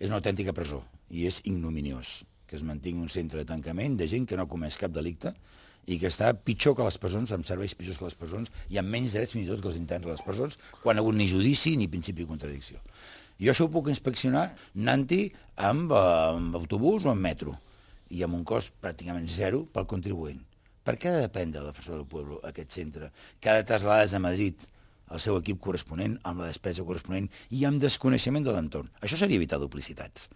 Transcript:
és una autèntica presó i és ignominiós que es mantingui un centre de tancament de gent que no ha comès cap delicte i que està pitjor que les presons, amb serveis pitjors que les presons i amb menys drets fins i tot que els interns de les presons, quan ha hagut ni judici ni principi de contradicció. Jo això ho puc inspeccionar anant-hi amb autobús o amb metro i amb un cost pràcticament zero pel contribuent. Per què ha de dependre de la Defensor del Pueblo aquest centre, que ha de traslladar des de Madrid el seu equip corresponent, amb la despesa corresponent i amb desconeixement de l'entorn? Això seria evitar duplicitats.